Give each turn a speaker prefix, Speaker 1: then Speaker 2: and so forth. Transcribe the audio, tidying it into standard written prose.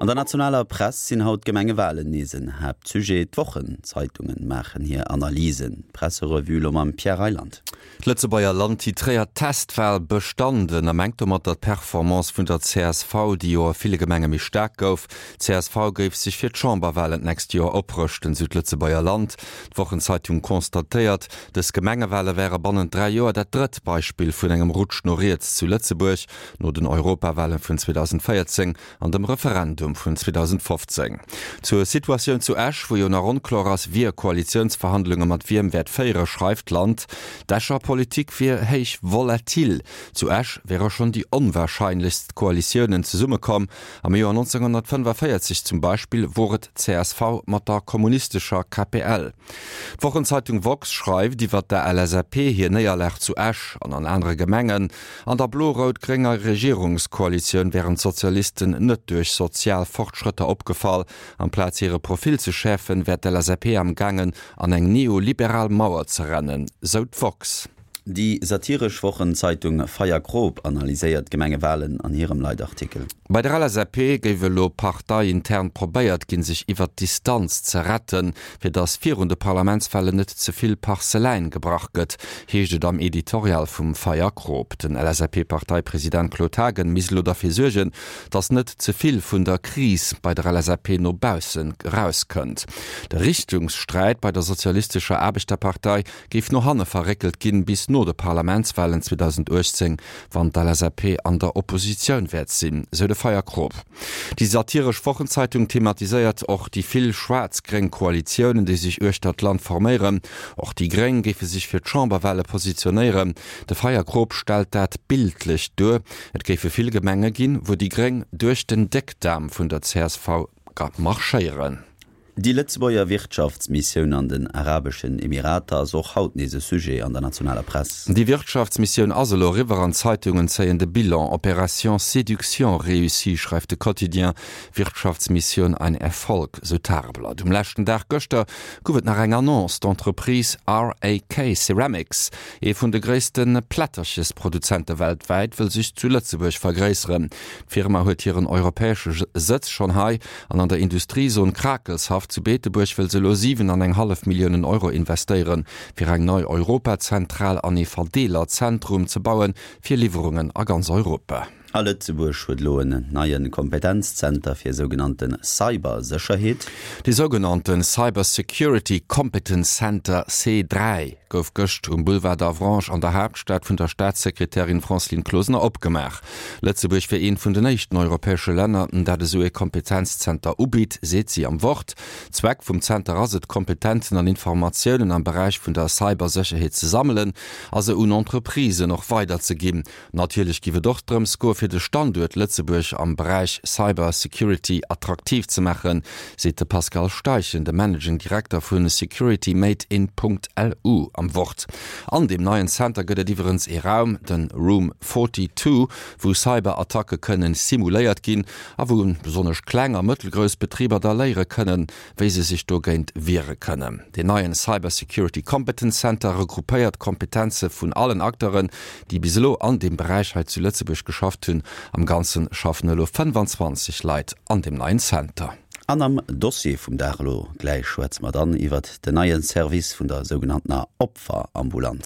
Speaker 1: An der nationaler Press sinn haut d'Gemengewalen nees en Haaptsujet. D'Wochenzeitungen maachen hir Analysen. D'Presserevue elo mam Pierre Reyland.
Speaker 2: D'Lëtzebuerger Land titréiert Testwal bestanden a mengt domatter d'Performance vun der csv, déi jo a ville Gemenge méi staark gouf. D'CSV géif sech fir d'Chamberwalen d'nächst Joer oprëschten, sou d'Lëtzebuerger Land. D'Wochenzeitung constatéiert, dës Gemengewale wäre bannent 3 Joer dat drëtt Beispill vun engem Rutsch no riets zu Lëtzebuerg, no den Europawale vun 2014 an dem Referendum vun 2015. Zur Situatioun zu Esch, wou jo nach onkloer ass, wie Koalitiounsverhandlunge mat wiem wäert féiere, schreift d'Land, d'Escher Politik wier héich volatil. Zu Esch wäre schonn déi onwarscheinlechst Koalitiounen zesummekomm. Am Joer 1945 zum Beispill wor et csv mat der kommunistescher KPL. D'Wochenzeitung woxx schreift iwwer der LSAP hir Néierlag zu Esch an an anere Gemengen. An der blo-rout-grénger Regierungskoalitioun wären d'Sozialisten net duerch sozial Fortschrëtter opgefall. Amplaz hire Profil ze schäerfen, wär d'LSAP am gaangen an eng neoliberal Mauer ze rennen, sou d'woxx.
Speaker 1: Déi satiresch Wochenzeitung Feierkrop analyséiert d'Gemengewalen an hirem Leitartikel.
Speaker 2: Bei der LSAP géif elo parteiintern probéiert ginn, sech iwwert d'Distanz ze retten, fir datt virun de Parlamentswalen net ze vill Parseläin gebrach gëtt, heescht et am Editorial vum Feierkrop. Den LSAP-Parteipresident Claude Haagen misst elo derfir suergen, datt net ze vill vun der Kris bei der LSAP no baussen erauskënnt. De Richtungssträit bei der Sozialistescher Aarbechterpartei géif no hanne verréckelt ginn, bis no de Parlamentswalen 2018, wann d'LSAP an der Oppositioun wäert sinn, sou de Feierkrop. Déi satiresch Wochenzeitung thematiséiert och déi vill schwaarz-gréng Koalitiounen, déi sech uechter d'Land forméieren. Och déi Gréng géife sech fir d'Chamberwale positionéieren. De Feierkrop stellt dat bildlech duer, Et géife vill Gemenge ginn, wou déi Gréng duerch den Déckdaarm vun der csv marschéieren.
Speaker 1: Déi Lëtzebuerger Wirtschaftsmissioun an den Arabeschen Emirater ass och haut nees e Sujet an der nationaler Press.
Speaker 2: Déi Wirtschaftsmissioun ass elo eriwwer an d'Zeitungen zéien de Bilan, Opération séduction réussie, schreift de Quotidien, Wirtschaftsmissioun ein Erfolg, sou d'Tageblatt. Um leschten Dag gëschter gouf et nach eng Annonce, D'Entreprise RAK Ceramics, ee vun de gréisste Plätterchesproduzente weltwäit, wëll sech zu Lëtzebuerg vergréisseren. D'Firma huet hiren europäesche Sëtz schonn hei An an der Industriezon Krakelshaff zu Beetebuerg wëll se elo 7 an eng hallef Milliounen Euro investéieren, fir eng nei Europazentral an ee Verdeelerzentrum ze bauen, fir Liwwerungen a ganz Europa.
Speaker 1: A Lëtzebuerg huet elo en neie Kompetenzzenter fir sougenannte Cybersécherheet.
Speaker 2: Dee sougenannte Cyber Security Competence Center, C3, gouf gëscht um Boulevard d'Avranches an der Haaptstad vun der Staatssekretärin Francine Closener opgemaach. Lëtzebuerg wier eent vun den éischten europäesche Länner, dat esou ee Kompetenzzenter ubitt, seet si am Wort. Zweck vum Zenter ass et, Kompetenzen an Informatiounen am Beräich vun der Cybersécherheet ze sammelen a se un Entreprisen och weiderzeginn. Natierlech giff et och drëms goe fir de Standuert Lëtzebuerg am Beräich Cyber Security attraktiv ze maachen, seet de Pascal Steichen, de Managing Director vu Security Made in. LU am Wort. An deem neien Center gëtt et iwwerens ee Raum, den Room 42, wou Cyberattacke kënnen simuléiert ginn a wou besonnesch kleng a mëttelgrouss Betriber da léiere kënnen, wéi se sech dogéint wiere kënnen. Deen neien Cyber Security Competence Center regroupéiert d'Kompetenze vun allen Acteuren, déi bis elo an deem Beräich hei zu Lëtzebuerg geschafft hunn. Am Ganze schaffen elo 25 Leit an deem neien Center.
Speaker 1: An am Dossier vum Dag elo gläich schwätze mer dann iwwert den neie Service vun der sougenanntener Opferambulanz.